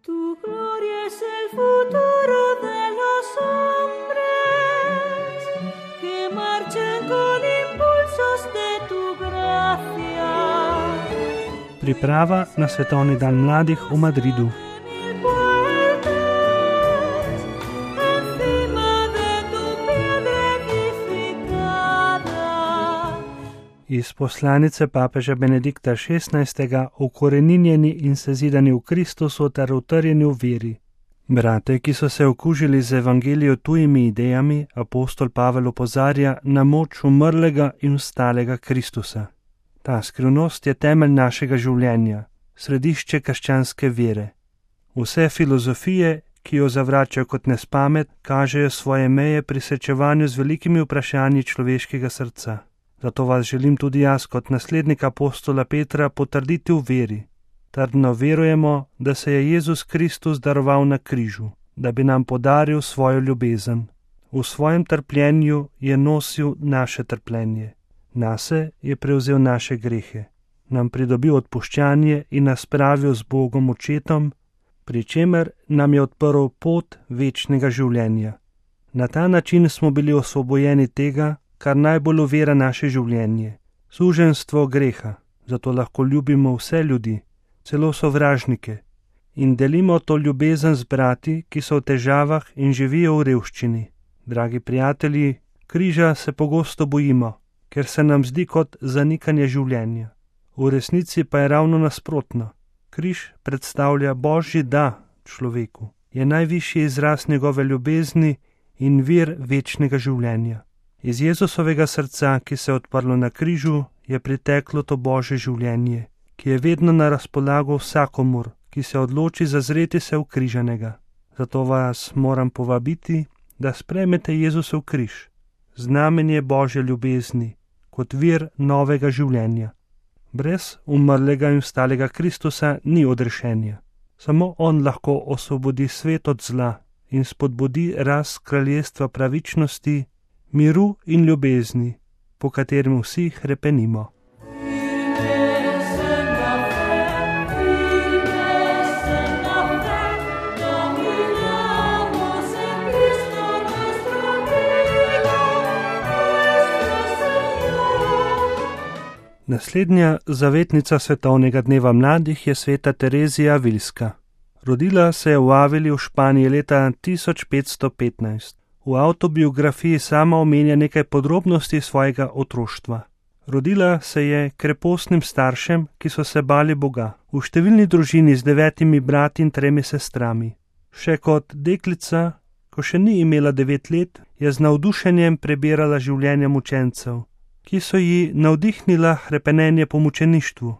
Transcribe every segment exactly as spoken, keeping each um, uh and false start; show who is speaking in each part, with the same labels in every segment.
Speaker 1: Tu gloria es el futuro de los hombres que marchan con impulsos de tu gracia.
Speaker 2: Priprava na Svetovni dan mladih v Madridu. Iz poslanice papeža Benedikta šestnajstega ukoreninjeni in sezidani v Kristusu ter utrjeni v veri. Brate, ki so se okužili z evangelijo tujimi idejami, apostol Pavel opozarja na moč umrlega in vstalega Kristusa. Ta skrivnost je temelj našega življenja, središče krščanske vere. Vse filozofije, ki jo zavračajo kot nespamet, kažejo svoje meje pri srečevanju z velikimi vprašanji človeškega srca. Zato vas želim tudi jaz kot naslednik apostola Petra potrditi v veri. Trdno verujemo, da se je Jezus Kristus daroval na križu, da bi nam podaril svojo ljubezen. V svojem trpljenju je nosil naše trpljenje. Nase je prevzel naše grehe, nam pridobil odpuščanje in nas spravil z Bogom Očetom, pri čemer nam je odprl pot večnega življenja. Na ta način smo bili osvobojeni tega, kar najbolj ovira naše življenje, suženjstvo greha, zato lahko ljubimo vse ljudi, celo sovražnike, in delimo to ljubezen z brati, ki so v težavah in živijo v revščini. Dragi prijatelji, križa se pogosto bojimo, ker se nam zdi kot zanikanje življenja. V resnici pa je ravno nasprotno. Križ predstavlja Božji da človeku, je najvišji izraz njegove ljubezni in vir večnega življenja. Iz Jezusovega srca, ki se je odprlo na križu, je priteklo to Božje življenje, ki je vedno na razpolago vsakomur, ki se odloči zazreti se v križanega. Zato vas moram povabiti, da sprejmete Jezusov križ, znamenje Božje ljubezni, kot vir novega življenja. Brez umrlega in vstalega Kristusa ni odrešenja. Samo on lahko osvobodi svet od zla in spodbudi rast kraljestva pravičnosti, miru in ljubezni, po katerem vsi hrepenimo. Naslednja zavetnica Svetovnega dneva mladih je sveta Terezija Avilska. Rodila se je v Avili v Španiji leta tisoč petsto petnajst. V avtobiografiji sama omenja nekaj podrobnosti svojega otroštva. Rodila se je krepostnim staršem, ki so se bali Boga, v številni družini z devetimi brati in tremi sestrami. Še kot deklica, ko še ni imela devet let, je z navdušenjem prebirala življenja mučencev, ki so ji navdihnila hrepenenje po mučeništvu,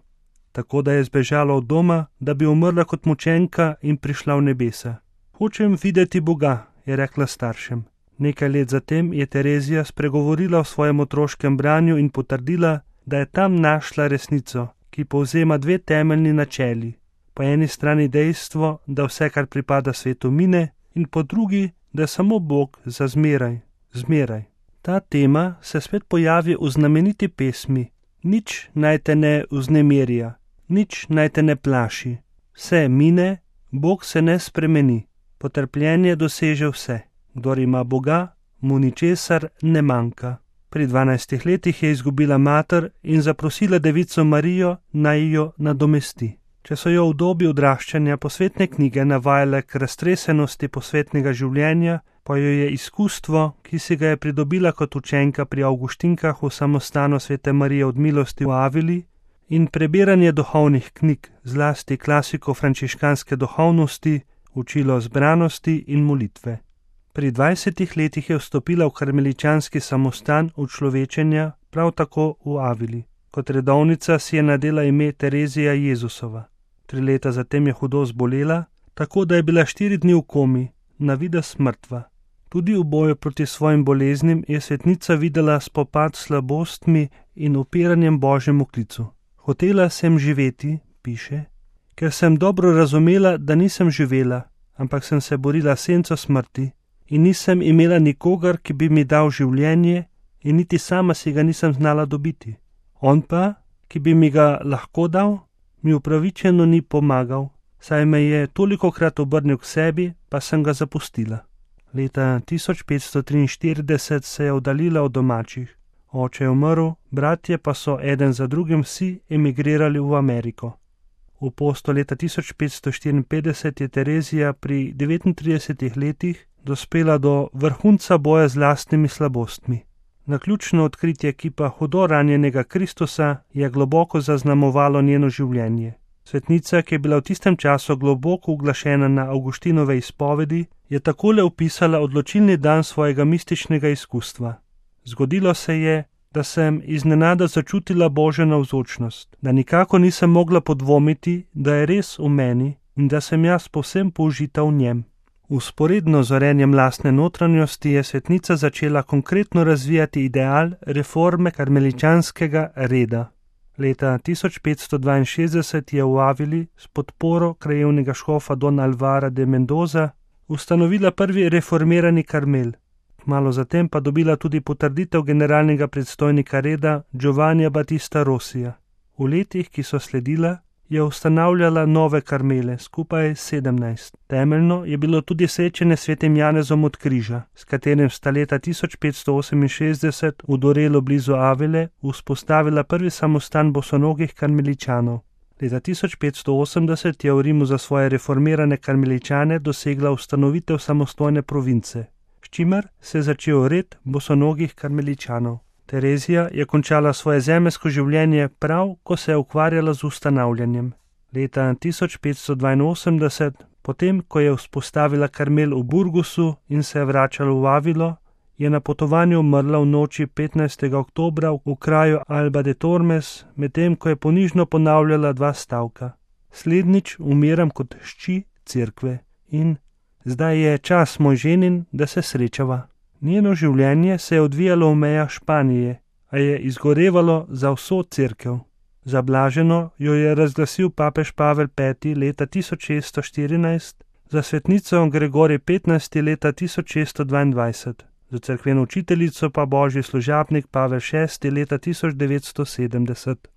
Speaker 2: tako da je zbežala od doma, da bi umrla kot mučenka in prišla v nebesa. Hočem videti Boga, je rekla staršem. Nekaj let zatem je Terezija spregovorila o svojem otroškem branju in potrdila, da je tam našla resnico, ki povzema dve temeljni načeli. Po eni strani dejstvo, da vse, kar pripada svetu, mine, in po drugi, da je samo Bog za zmeraj, zmeraj. Ta tema se spet pojavi v znameniti pesmi Nič naj te ne vznemirja, nič naj te ne plaši. Vse mine, Bog se ne spremeni, potrpljenje doseže vse. Kdor ima Boga, mu ničesar ne manjka. Pri dvanajstih letih je izgubila mater in zaprosila devico Marijo, naj jo nadomesti. Če so jo v dobi odraščanja posvetne knjige navajale k raztresenosti posvetnega življenja, pa jo je izkustvo, ki si ga je pridobila kot učenka pri Avguštinkah v samostanu svete Marije od milosti v Avili, in prebiranje duhovnih knjig, zlasti klasiko frančiškanske duhovnosti, učilo zbranosti in molitve. Pri dvajsetih letih je vstopila v karmeličanski samostan učlovečenja, prav tako v Avili. Kot redovnica si je nadela ime Terezija Jezusova. Tri leta zatem je hudo zbolela, tako da je bila štiri dni v komi, na videz mrtva. Tudi v boju proti svojim boleznim je svetnica videla spopad s slabostmi in upiranjem Božjemu klicu. Hotela sem živeti, piše, ker sem dobro razumela, da nisem živela, ampak sem se borila s senco smrti in nisem imela nikogar, ki bi mi dal življenje, in niti sama si ga nisem znala dobiti. On pa, ki bi mi ga lahko dal, mi upravičeno ni pomagal, saj me je tolikokrat obrnil k sebi, pa sem ga zapustila. Leta tisoč petsto triinštirideset se je oddaljila od domačih. Oče je umrl, bratje pa so eden za drugim vsi emigrirali v Ameriko. V posto leta tisoč petsto štiriinpetdeset je Terezija pri devetintridesetih letih dospela do vrhunca boja z lastnimi slabostmi. Naključno odkritje kipa hudo ranjenega Kristusa je globoko zaznamovalo njeno življenje. Svetnica, ki je bila v tistem času globoko uglašena na Avguštinove izpovedi, je takole opisala odločilni dan svojega mističnega izkustva. Zgodilo se je, da sem iznenada začutila Božjo navzočnost, da nikako nisem mogla podvomiti, da je res v meni in da sem jaz povsem použita v njem. Vzporedno z orenjem lastne notranjosti je svetnica začela konkretno razvijati ideal reforme karmeličanskega reda. Leta tisoč petsto dvainšestdeset je v Avili s podporo krajevnega škofa Don Alvara de Mendoza ustanovila prvi reformirani karmel. Malo zatem pa dobila tudi potrditev generalnega predstojnika reda Giovannija Battista Rossija. V letih, ki so sledila, je ustanavljala nove karmele, skupaj sedemnajst. Temeljno je bilo tudi srečanje s svetim Janezom od križa, s katerim sta leta tisoč petsto oseminšestdeset v Dorelu blizu Avile vzpostavila prvi samostan bosonogih karmeličanov. Leta tisoč petsto osemdeset je v Rimu za svoje reformirane karmeličane dosegla ustanovitev samostojne province, s čimer se je začel red bosonogih karmeličanov. Terezija je končala svoje zemeljsko življenje prav, ko se je ukvarjala z ustanavljanjem. Leta tisoč petsto dvainosemdeset, potem ko je vzpostavila karmel v Burgosu in se je vračala v Avilo, je na potovanju umrla v noči petnajstega oktobra v kraju Alba de Tormes, medtem ko je ponižno ponavljala dva stavka. Slednjič umiram kot hči cerkve in zdaj je čas moj ženin, da se srečava. Njeno življenje se je odvijalo v mejah Španije, a je izgorevalo za vso cerkev. Za blaženo jo je razglasil papež Pavel peti leta tisoč šeststo štirinajst, za svetnico Gregorij petnajsti leta tisoč šeststo dvaindvajset, za cerkveno učiteljico pa božji služabnik Pavel šesti leta tisoč devetsto sedemdeset.